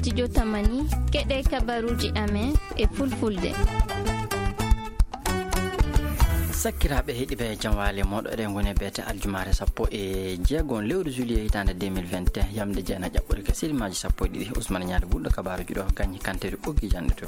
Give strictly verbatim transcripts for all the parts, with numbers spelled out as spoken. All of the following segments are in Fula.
Studio Tamani, keɗe kabaruuji amen e fulfulde. Sakkiraaɓe heɗiiɓe, jam waali mooɗon, eɗen ngoni e beete aljumaare sappo e jeego lewru juillet hitaande deux mille vingt et un, yamde jeenayi ƴaɓɓoore ka sirimaaji sappo e ɗiɗi. Ousmane Ñaande Gulɗo, kabaaruuji ɗo, gañi kanteeri ɓoggi jannde to.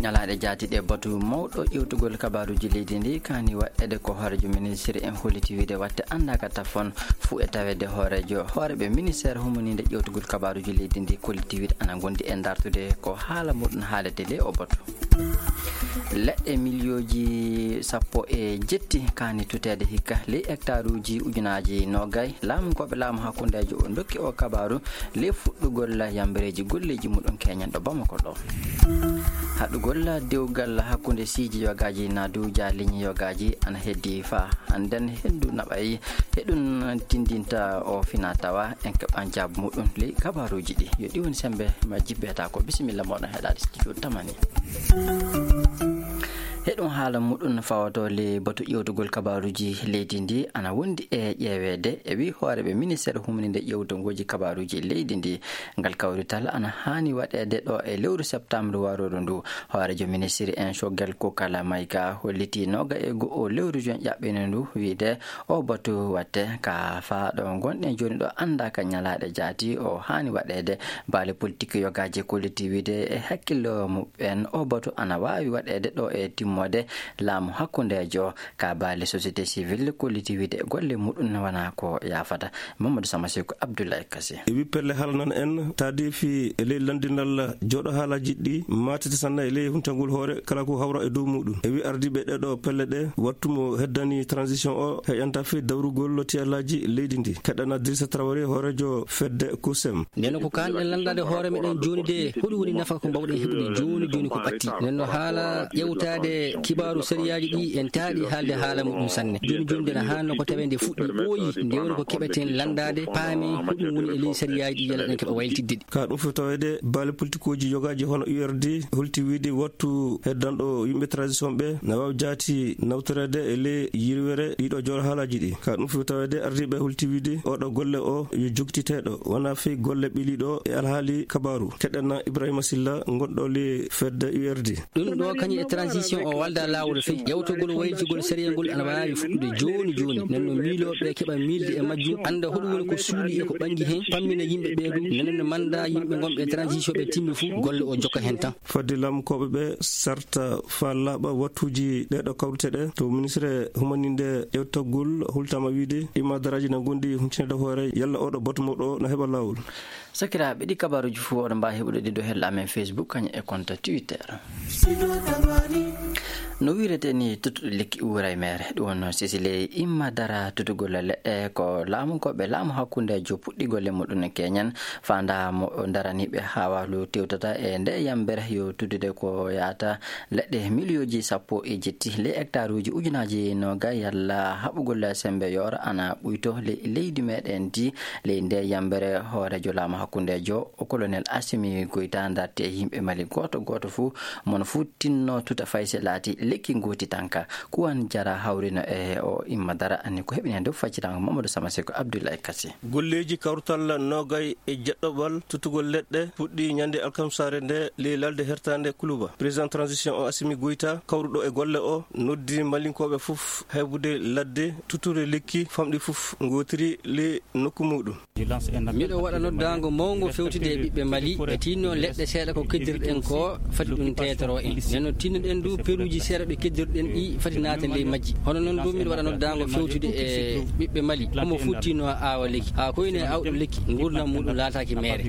Ñalaaɗe jaati ɗe, batu mawɗo ƴeewtugol kabaaruuji leydi ndi kaani waɗeede ko hooreejo ministre en holliti wiide watte anndaaka tafon fuu e taweede hooreejo, hooreeɓe ministeer humaniinde ƴeewtugol kabaaruuji leydi ndi kolliti wiide ana ngondi e dartude ko haala muɗum haalete ley o batu. Leɗɗe miliyooji sappo e jetti kaani tuteede hikka ley hectaruuji ujunaaji noogay. Laamukooɓe laamu hakkundeejo o ndokki o kabaaru ley fuɗɗugol yambareeji golleeji muɗum keñen ɗo Bamako ɗo. Haɗugol dewgal hakkunde siiji yogaaji na duuja liñi yogaaji ana heddi faa hannden henndu naɓay. He ɗum tindinta o fina tawa en keɓan jaabu muɗum ley kabaaruuji ɗi. Yo ɗi woni semmbe majji beeta ko bisimilla mooɗon heɗaade studio Tamani. He ɗum haala muɗum fawotoo ley batu ƴeewtugol kabaaruuji leydi ndi ana wondi e ƴeeweede e wi hooreeɓe ministeer humaniinde ƴeewtugooji kabaaruuji leydi ndi. Ngal kawrital ana haani waɗeede ɗo e lewru septembre warooru ndu. Hooreejo ministiri en Choguel Kokalla Maïga hollitii nooga e go'o lewru juin ƴaɓɓiino ndu wiide o batu watte ka faa ɗo ngonɗen jooni ɗo anndaaka ñalaaɗe jaati o haani waɗeede. Baale politik yogaaji kolliti wiide e hakkillo muɓɓen o batu ana waawi waɗeede ɗo e timmoode laamu hakkundeejo. Ka baale société civile kolliti wiide golle muɗum wonaa ko yaafata. Mamadou Sama Seku Abdoulaye Kassé. E wi pelle haalnan en taadeefi e ley lanndinal jooɗo haalaaji ɗi maatete sanne e ley huntagol hoore kala ko hawra e dow muɗum. E wi ardiiɓe ɗeɗo pelle ɗe wattu mo heddani transition o heƴanta fii dawrugol tiyalaaji leydi ndi. Keɗɗana Dirisa Traoré hooreejo fedde kusem. Nden ko kaanɗen lanndaade hoore meɗen jooni de, hoɗum woni nafa ko mbawɗen heɓude jooni jooni ko ɓatti? Nden no haala ƴewtaade kibaaru sariyaaji ɗi en taaɗi haalde haala muɗum sanne. Jooni jooni nden haanno ko tawee nde fuɗɗi ɓooyi, nde woni ko keɓeten lanndaade, paamen hoɗum woni e ley sariyaaji ɗi yalla ɗen keɓa waylitidde ɗi. Ka ɗum fof taweede baale politikooji yogaaji hono U R D holti wiide wattu heddanɗo yimɓe transition ɓe na waawi jaati nawtoreede e ley yirwere ɗiɗo jooɗo haalaaji ɗi. Ka ɗum fof taweede ardiiɓe holti wiide oɗo golle o yo jogtiteeɗo wona fii golle ɓiliiɗo e alhaali kabaaru. Keɗɗen Ibrahima Silla ngonɗo ley fedde U R D. Ɗum ɗo kañum e transition o walda laawol fey. Yawtogol wayligol sariyangol ana waawi fuɗɗude jooni jooni. Nden no miilooɓe keɓa miilde e majjum, annda hoɗum woni ko suuɗi e ko ɓangi heen, pammina yimɓe ɓee ɗum. Nden no mannda yimɓe ngonɓe e transition ɓe timmi fuu, golle o jokka heen tan. Fadde laamukooɓe ɓe sarta faa laaɓa wattuuji ɗeɗo kawrite ɗe. To ministre humaninde ƴewtagol hultama wiide imadaraaji na ngondi huncinde hoore yalla oɗo batu mawɗo o na heɓa laawol. Sakiraaɓe, ɗi kabaaruuji fof oɗon mbaawi heɓude ɗi ɗo helle amen Facebook kañum e compte Twitter. No wiirete ni, tuttuɗo lekki uura e meere. Ɗum wonno sisi ley imma dara tutugol leɗɗe ko laamu ko ɓe laamu hakkundeejo puɗɗi golle muɗum e keñen. Faandaa mo daraniiɓe haa waalu tewtata e nde yambere yo tuddude ko yaata leɗɗe miliyooji sappo e jetti ley hectaruuji ujunaaji noogay yalla haɓugol sembe yoora ana ɓuyto ley leydi meɗen ndi. Ley nde yambere hooreejo laamu hakkundeejo o colonel Assimi Goïta darti e yimɓe Mali gooto gooto fuu, mono fuu tinno tuta fayse laati lekki ngooti tanka. Kuwan Jara hawrino e o imma dara anni ko heɓini heen dow faccitaango Mamadou Sama Seko Abdoulaye Kassi. Golleeji kawtal noogay e jeɗɗoɓal tutugol leɗɗe puɗɗi ñande alkamsaare nde ley lalde hertaande Kuluba. Président transition o Assimi Goïta kawruɗo e golle o noddi Malinkooɓe fof heɓude ladde tuture lekki famɗi fof ngootiri ley nokku muɗum. Miɗo waɗa noddaango mawngo fewtude e ɓiɓɓe Mali, ɓe tinno leɗɗe seeɗa ko keddirɗen ko, fati ɗum teetoro en. Nden no tinnoɗen du peruuji seeɗa ɗi keddirɗen ɗi, fati naata ley majji. Hono noon du, miɗo waɗa noddaango fewtude e ɓiɓɓe Mali, homo fuu tinno aawa lekki. Haa koyne awɗo lekki, nguurndam muɗum laataaki meere.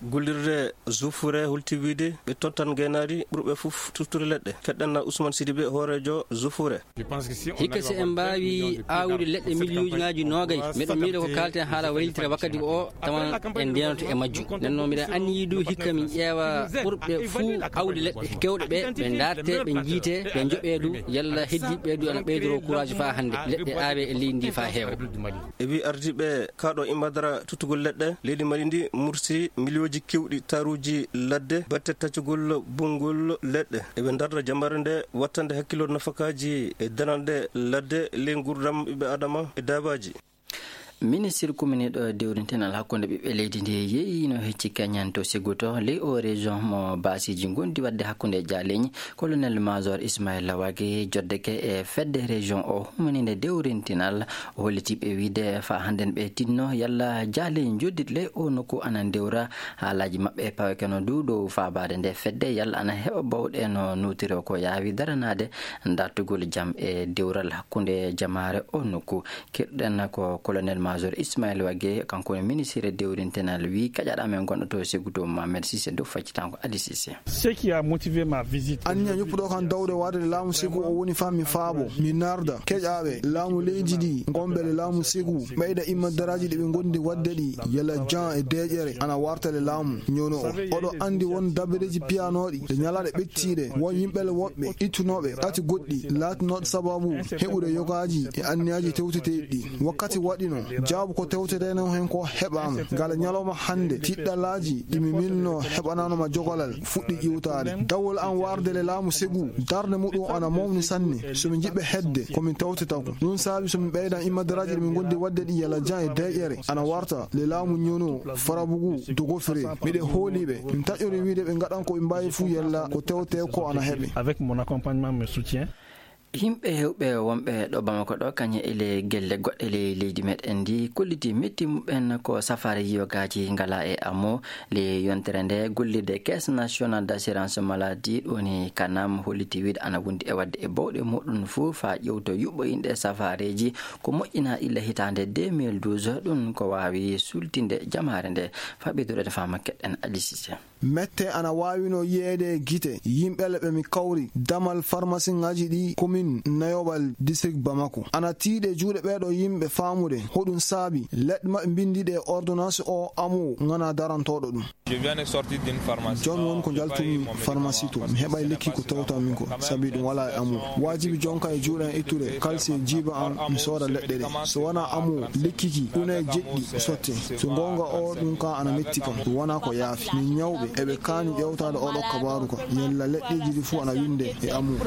Gollirde Zufure holti wiide ɓe tottan gaynaari ɓurɓe fof tuttude leɗɗe. Keɗɗen Ousmane Sidibé, hooreejo Zufure. Hikka si en mbaawi aawude leɗɗe miliyuuji noogay, miɗo miila ko kaalten haala waylitira wakkati o, tawan en ndeenato e majjum. Nden noon, miɗen anniyii du hikka min ƴeewa ɓurɓe fuu awde leɗɗe keewɗe ɓe, ɓe ndaarte, ɓe njiite, ɓe njoɓee du, yalla heddiiɓe ɓe du ana ɓeydoroo courage faa hannde, leɗɗe aawee e leydi ndi faa heewa. E wi ardiiɓe kaaɗo imadara tuttugol leɗɗe, leydi Mali ndi mursi miliyooji keewɗi taruuji ladde, batte taccugol bonngol leɗɗe. Eɓe ndarda jamare nde wattande hakkillo nafakaaji e dananɗe ladde ley nguurndam ɓiɓɓe Aadama e daabaaji. Ministir kuminiiɗo dewrintenal hakkunde ɓiɓɓe leydi ndi yeeyino hecci keñan to Ségoutto, ley o région mo baasiiji ngondi waɗde hakkunde jaaleñi. Colonel Major Ismaïla Wage joddeke e fedde région o humaninde dewrintinal, o holliti ɓe wiide fa hannden ɓe tinno yalla jaaleñi joddit ley o nokku ana ndewra haalaaji maɓɓe e pawekeno du dow faabaade nde fedde yalla ana heɓa bawɗe no notiro ko yaawi daranaade dartugol jam e dewral hakkunde jamaare o nokku. Keɗɗen ko colonel Major Ismaël Wage, kanko woni ministre dewrintenal, wi kaƴaɗo amen gonɗo to Ségoutto Mohamed Cissé dow faccitango Ali Cissé. Ce qui a motivé ma visite. Anniya ñuppuɗo kan dawde waade laamu Ségoutto o woni fa mi faabo, mi narda keƴaaɓe laamu leydi ndi, gonɓe le laamu Ségoutto, ɓeyda imma daraaji ɗi ɓe gondi waɗde ɗi, yala jan e deeƴere ana warta le laamu ñono o. Oɗo andi won dabareeji piyanooɗi ɗe ñalaaɗe ɓettiiɗe, won yimɓe le woɓɓe ittunooɓe kati goɗɗi laatinooɗo sababu heɓude yogaaji e anniyaaji tewteteeɗi ɗi. Wakkati waɗino jaabu ko tewteteno hen ko heɓaama. Ngala ñalawma hannde, tiɗɗalaaji ɗi mi milno heɓanaano ma jogalal fuɗɗi ƴiwtaade. Dawol an warde le laamu Ségoutto, darnde muɗum ana mawni sanne. So mi jiɓɓe hedde, ko min tewteta ko. Ɗum saabi so min ɓeydan immadaraaji ɗi min gondi waɗde ɗi yala jan e deeƴere, ana warta le laamu ñono farabugu dogofre. Miɗe hooliɓe, mi taƴori wiide ɓe ngaɗan ko ɓe mbaawi fuu yalla ko tewte ko ana heɓe. Avec mon accompagnement, mes soutiens. Yimɓe heewɓe wonɓe ɗo Bamako ɗo, kañe e le gelle goɗɗe ley leydi meɗen ndi, kolliti metti muɓɓen ko safaare yiyogaaji ngala e amo. Le yontere nde, gollirde Caisse Nationale d'Assurance Maladie, ɗo ni kanam holliti wiide ana wondi e waɗde e bawɗe muɗum fuu faa ƴewto yuɓɓo inɗe safaareeji ko moƴƴina illa hitaande deux mille douze, ɗum ko waawi sultinde jamaare nde. Faa ɓeydude faama keɗɗen Ali Cissé. Mette ana waawino yiyeede e gite yimɓe le ɓe mi kawri damal farmasiŋaaji ɗi komin nayoɓal district Bamako. Ana tiiɗe juuɗe ɓeeɗo yimɓe faamude hoɗum saabi leɗɗe maɓɓe mbindiiɗe e ordonnance o amu ŋana darantooɗo ɗum. Je viens de sortir d'une pharmacie. Jooni won ko njaltumi pharmacie to, mi heɓay lekki ko tewta min ko, sabi ɗum wala e amu. Waajibi jonka e juuɗe an ittude kalse jiiba an, mi sooda leɗɗe ɗe. So wona amu, lekki ki, une e jeɗɗi sotte. So goonga o, ɗum ka ana metti kam. Ɗum wona ko yaafi. Min ñawɓe, eɓe kaani ƴewtaade oɗo kabaaru ka. Yalla leɗɗeeji ɗi fuu ana winde e amu.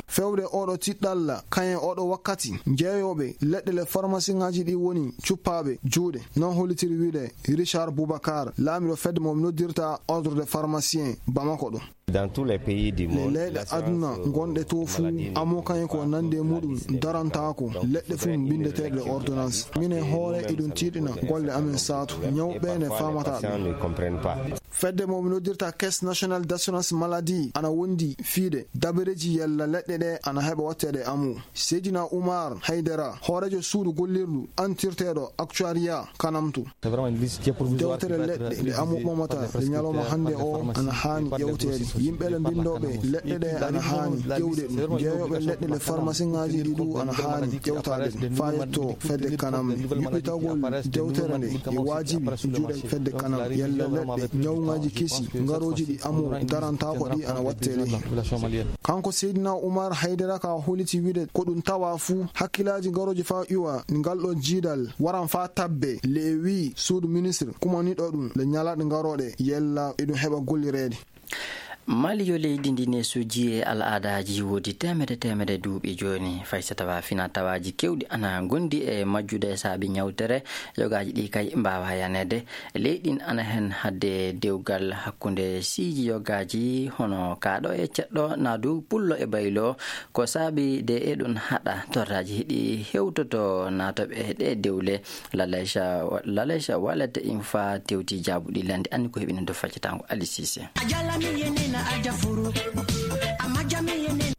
Fewde oɗo tiɗɗalla, kayen oɗo wakkati, jeeyooɓe leɗɗe le farmasiŋaaji ɗi woni cuppaaɓe juuɗe. Non hollitiri wiide Richard Boubacar, laamiɗo fedde mo noddirta Ordre des Pharmaciens Bamako ɗo. Dans tous les pays du monde, leyɗe aduna gonɗe to fuu, amo kayen ko nande muɗum darantaako leɗɗe fuu bindeteeɗe ordonnance. Min e hoore eɗum tiiɗina golle amen saatu, ñawɓe ne faamata ɗum. Fedde mo noddirta Caisse Nationale d'Assurance Maladie ana wondi fiide dabareeji yalla leɗɗe ɗe ana heɓa watteede amu. Seydina Oumar Haydara, hooreejo suudu gollirdu antirteeɗo Actuariat kanamtu. Dewtere leɗɗe nde amu ɓamata e ñalawma hannde o ana haani ƴewteede. Yimɓe le mbinndooɓe leɗɗe ɗe ana haani ƴewde ɗum. Jeeyooɓe leɗɗe le farmasiŋaaji ɗi ɗu ana haani ƴewtaade ɗum. Faa yetto fedde kanam. Yuɓɓitagol dewtere nde e waajibi juuɗe fedde kanam. Yalla leɗɗe ñawŋaaji kesi ngarooji ɗi amu darantaako ɗi ana watteede heen. Kanko Seydina Oumar Haydara ka holiti wiide ko ɗum tawa fuu hakkilaaji ngarooji faa iwa ngal ɗo jiidal waran faa tabbe le e wii suudu ministre kumaniɗo ɗum le ñalaaɗe ngarooɗe yella eɗum heɓa gollireede. Mali yo leydi ndi neesuuji e al'aadaaji woodi teemedde teemedde duuɓi jooni. Fay so tawa fina tawaaji kewɗi ana ngondi e majjude saabi ñawtere, yogaaji ɗi kay mbaawa yaneede. Leyɗin ana heen hadde dewgal hakkunde siiji yogaaji hono kaaɗo e ceɗɗo, naadu pullo e baylo. Ko saabi de eɗum haɗa torraaji hiɗi hewtoto naatooɓe ɗe dewle. Laleca, Laleca Wallet Infa tewti jaabuɗi landi anni ko heɓino do faccatango Ali Cissé.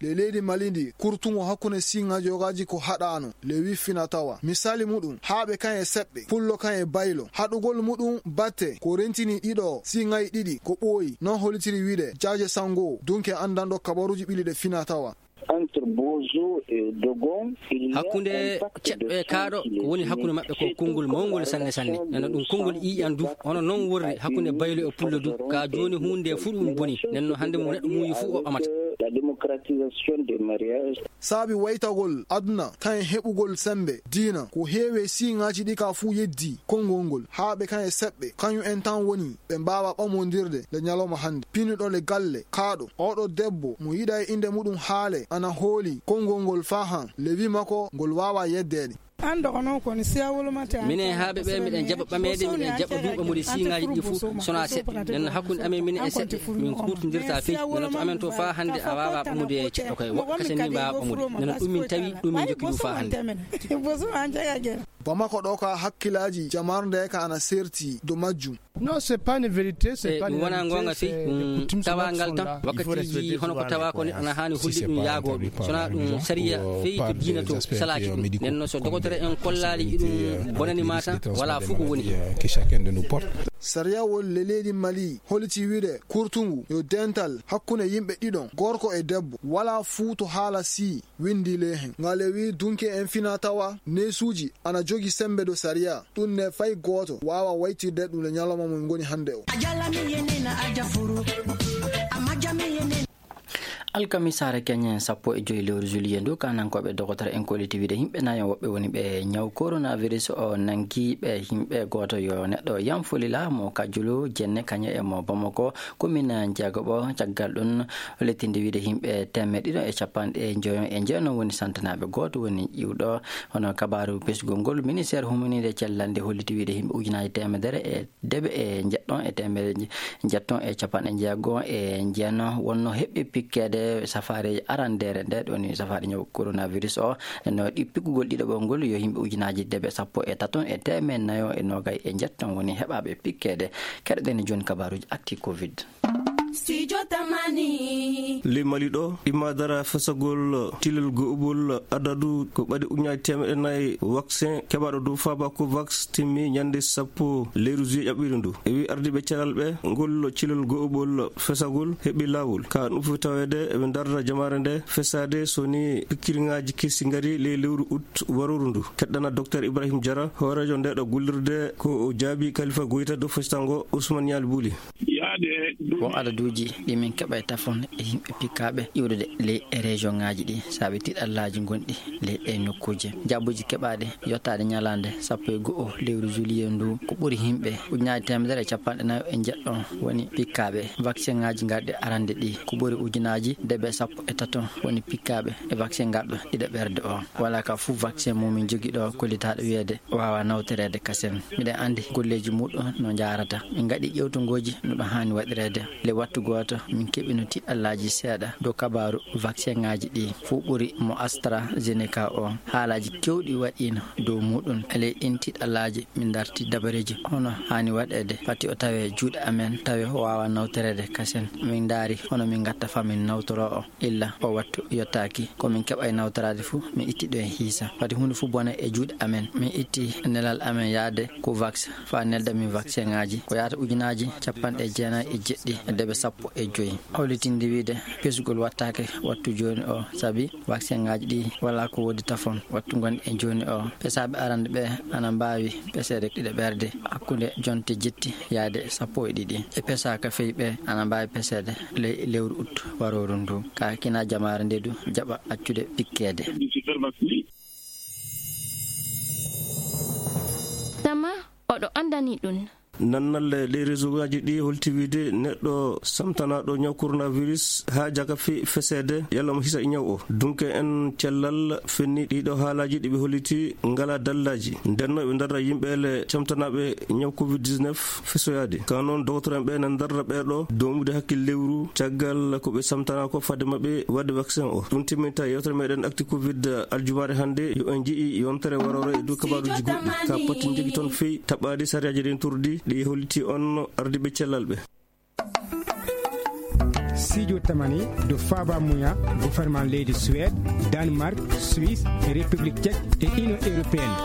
Le leydi Mali ndi kurtuŋo hakkunde siŋaaji yogaaji ko haɗaano. Le wi fina tawa. Misali muɗum, haaɓe kan e seɓɓe, pullo kan e baylo. Haɗugol muɗum batte ko rentini ɗiɗo siŋaaji ɗiɗi ko ɓooyi. Non holitiri wiide Jaaje Sango, dunke anndanɗo kabaruuji ɓili ɗe fina tawa. Entre Bozo et Dogon, il y a hakkunde un pacte de ceɗɗo e kaaɗo, ko woni hakkunde maɓɓe ko konngol mawngol sanne sanne. Nana ɗum konngol ƴiiƴan du, hono noon worri hakkunde baylo e pullo du. Ka jooni huunde fuu ɗum boni. Nden no hannde mo neɗɗo muuyi fuu o ɓamata. La démocratisation des mariages. Saabi waytagol aduna, kan e heɓugol sembe diina, ko heewi e siŋaaji ɗi ka fuu yeddi konngol ngol. Haa ɓe kan e seɓɓe, kañum en tan woni ɓe mbaawa ɓamondirde nde ñalawma hannde. Pinnuɗo le galle, kaaɗo, oɗo debbo mo yiɗa e innde muɗum haale, ana hooli konngol ngol faa han, le wi makko ngol waawa yeddeede. An dogono ko ni siya wolo mate an. Minen haaɓe ɓe, miɗen jaɓa ɓameede, miɗen jaɓa duuɓa modi siŋaaji ɗi fof, sonaa seɗɗa. Nden hakkunde amen minen e seɗɗe, min kuutondirta fey. Nana to amen to faa hannde a waawaa ɓamude ceɗɗo koye woɓɓe kasen min mbaawaa ɓamude. Nana ɗum min tawi, ɗum min jokki ɗum faa hannde. Bamako ɗo ka hakkilaaji jamarnde ka ana serti do majjum. Non, c'est pas une vérité, c'est pas une vérité, c'est des coutumes, c'est notre fonda. Ɗum wonaa goonga fey, ɗum tawaagal tan. Wakkatiiji hono ko tawa ko neɗɗo ana haani holli ɗum yaagooɓe. Sonaa ɗum sariya fey to diina to salaaki ɗum. Nden noon so dogotere en kollaali iɗum bonani ma tan, wala fof ko woni heen. Sariya won le leydi Mali holliti wiide kurtungu yo dental hakkunde yimɓe ɗiɗon, gorko e debbo, wala fuu to haala sii windi ley heen. Ngale wi dunke en fina tawa neesuuji ana jogi sembe do sariya. Ɗum ne fay gooto waawa waytirde ɗum le ñalawma mo min ngoni hannde o. Alkamisaare keñen sappo e joyi lewru juillet ndu, kanankooɓe dogotere en kolliti wiide yimɓe nayo woɓɓe woni ɓe ñaw coronavirus o nangi ɓe yimɓe gooto yo neɗɗo Yanfolila mo Kajulu Jenne kañe e mo Bamako, commune Njeegoɓo. Caggal ɗum, lettinde wiide yimɓe teemeɗɗe ɗiɗo e capanɗe njoyo e njeeno woni santanaaɓe, gooto woni ƴiwɗo. Hono kabaaru pesgol ngol, ministère humaninde cellal nde holliti wiide yimɓe ujunaaji teemedere e deeɓe e njeɗɗon e teemedere nje-, njeɗɗon e capanɗe njeego e njeeno wonno heɓɓi pikkeede safaareeji arandeere nde, ɗo ni safaare ñaw coronavirus o. No ɗi piggugol ɗiɗaɓol ngol yo yimɓe ujunaaji deeɓe sappo e taton e teemeɗɗe nayo e noogay e njeɗɗon woni heɓaaɓe pikkeede. Keɗoɗen jooni kabaaruuji actu covid. Studio Tamani. Ley Mali ɗo, ɗimma dara fesagol cilel go'ubol adadu ko ɓadi ujunaaji teemeɗɗe nayi vaccin keɓaaɗo dow faaba Covax timmi ñande sappo lewru juillet ƴaɓɓiiɗo ndu. E wi ardiiɓe calal ɓe, ngol cilel go'ubol fesagol heɓi laawol. Ka ɗum fof taweede eɓe ndarda jamaare nde fesaade so ni pikkirŋaaji kesi ngari ley lewru août warooru ndu. Keɗɗana Docteur Ibrahim Jara, hooreejo nde ɗo gollirde ko o jaabi Kalifa Goyta dow festango Ousmane Ñaali Buli. Won adaduuji ɗi min keɓa e tafon e yimɓe pikkaaɓe iwrude ley e région ŋaaji ɗi, saabe tiɗallaaji gonɗi ley ɗe nokkuuje. Jaabuuji keɓaaɗi yottaade ñalaande sappo e go'o lewru juillet ndu, ko ɓuri yimɓe ujunaaji teemedere e capanɗe nayo e njeɗɗon woni pikkaaɓe vaccin ŋaaji garɗi arande ɗi, ko ɓuri ujunaaji deeɓe sappo e taton woni pikkaaɓe e vaccin garɗo ɗiɗaɓerde o. Wala ka fuu vaccin mumin jogii ɗo kollitaaɗo wiyeede waawa nawtoreede kasen. Miɗen anndi golleeji muɗum no njaarata. Min ngaɗi ƴewtongooji no ɗum haani waɗireede. Le wattu gooto, min keɓino tiɗallaaji seeɗa dow kabaaru vaccin ŋaaji ɗi. Fuu ɓuri mo AstraZeneca o. Haalaaji keewɗi waɗiino dow muɗum. E ley ɗin tiɗallaaji, min ndarti dabareeji hono haani waɗeede. Fati o tawe juuɗe amen, tawe o waawa nawtoreede kasen. Min ndaari hono min ngatta faa min nawtoroo o. Illa o wattu yottaaki, ko min keɓa e nawtoraade fuu, min itti ɗum e hiisa. Fati huunde fuu bona e juuɗe amen. Min itti nelal amen yaade Covax faa nelda min vaccin ŋaaji. Ko yaata ujunaaji capanɗe jeenayi e jeɗɗi e deeɓe sappo e joyi. Hollitinde wiide pesgol wattaake wattu jooni o, sabi vaccin ŋaaji ɗi wala ko woodi tafon. Wattu ngonɗi e jooni o, pesaaɓe arande ɓe ana mbaawi peseede ɗiɗaɓerde hakkunde jonte jetti yaade sappo e ɗiɗi. E pesaaka fey ɓe ana mbaawi peseede ley lewru août warooru ndu. Ka kina jamaare nde du jaɓa accude pikkeede. Tama oɗo anndani ɗum. Nannalle ɗe réseau ngaji ɗi holti wiide neɗɗo samtanaaɗo ñaw coronavirus haa jaka fi feseede, yalla mo hisa e ñaw o. Dunke en cellal fenni ɗiɗo haalaaji ɗi ɓe holliti ngala dallaaji. Ndenno ɓe ndarra yimɓe le camtanaaɓe ñaw covid dix-neuf fesoyaade. Ka noon, dogotoro en ɓe na ndarra ɓeeɗo domude hakkil lewru caggal ko ɓe samtanaa ko fade maɓɓe waɗde vaccin o. Ɗum timminta yewtere meɗen actu covid aljumaare hannde. Yo en nji'i yontere warore e dow kabaruuji goɗɗi. Ka poti njogi toon fey taɓaade sariyaaji rentorɗi ɗi holliti on ardiiɓe cellal ɓe. Sijo Tamani do Faba Muya, gouvernement leydi Suède, Danemark, Suisse, République Tchèque et Union Européenne.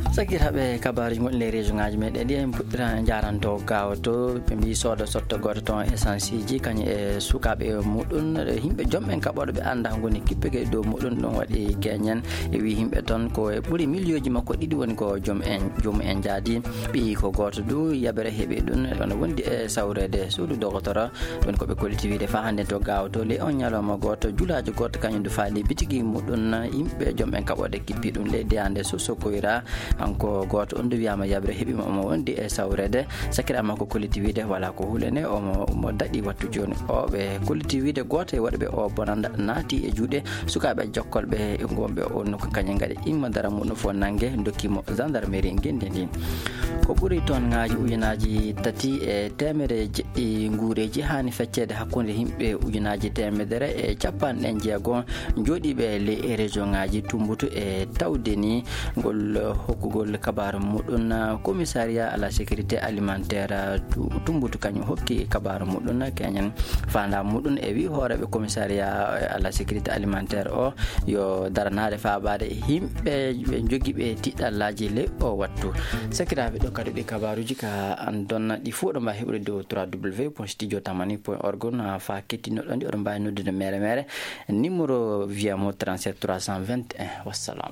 Sakiraaɓe, kabaruuji gonɗi ley région ngaji meɗen ɗi en puɗɗira jaranto gawa to ɓe mbi sooda sotto goto ton essence ji kañum e sukaɓe muɗum, yimɓe joom en kaɓoɗo ɓe anda ngoni kippege dow muɗum, ɗum waɗi keñen. E wi yimɓe toon ko e ɓuri miliyonji makko ɗiɗi woni ko joom en, joom en jaadi. Ɓiyi ko gooto du, yabere heɓi ɗum, ɗon wondi e sawreede suudu dogotoro. Ɗum ko ɓe kolliti wiide faa hannde to gaawato ley on ñalawma gooto, julaajo gooto kañum du faali bitigi muɗum, yimɓe joom en kaɓoode kippi ɗum ley deyande Soso Koyra. Ko gooto on ndu wiyaama yaɓre heɓiima, omo wondi e sawreede. Sakiraaɓe makko kolliti wiide walaa ko hulani, omo, omo daɗi wattu jooni. O ɓe kolliti wiide gooto e waɗɓe o bonannda naati e juuɗe sukaaɓe jokkolɓe e ngonɓe o nokku, kañum ngaɗi imma dara muɗum fof nannge, ndokki mo gendarmerie ngenndi ndi. Ko ɓuri toon ngaji ujunaaji tati e teemedere jeɗɗi nguureeji haani fecceede hakkunde yimɓe ujunaaji teemedere e capanɗe jeego jooɗiiɓe e ley région ngaji Tumbutu e tawde ni ngol hokkugol kabaaru muɗum commissariat à la sécurité alimentaire Tu-, Tumbutu, kañum hokki kabaaru muɗum keñen faandaa muɗum e wi hooreeɓe commissariat à la sécurité alimentaire o yo daranaade faabaade yimɓe ɓe jogiiɓe tiɗɗallaaji ley o wattu. Sakiraaɓe, ɗo kadi ɗi kabaaruuji ka an donna ɗi fof ɗo mbaawi heɓude dow trois W point studio tamani point org, na fa kettinnoɗon ɗi oɗon mbaawi noddude mere mere. Numéro via mo trente-sept trois cent vingt et un. Wassalam.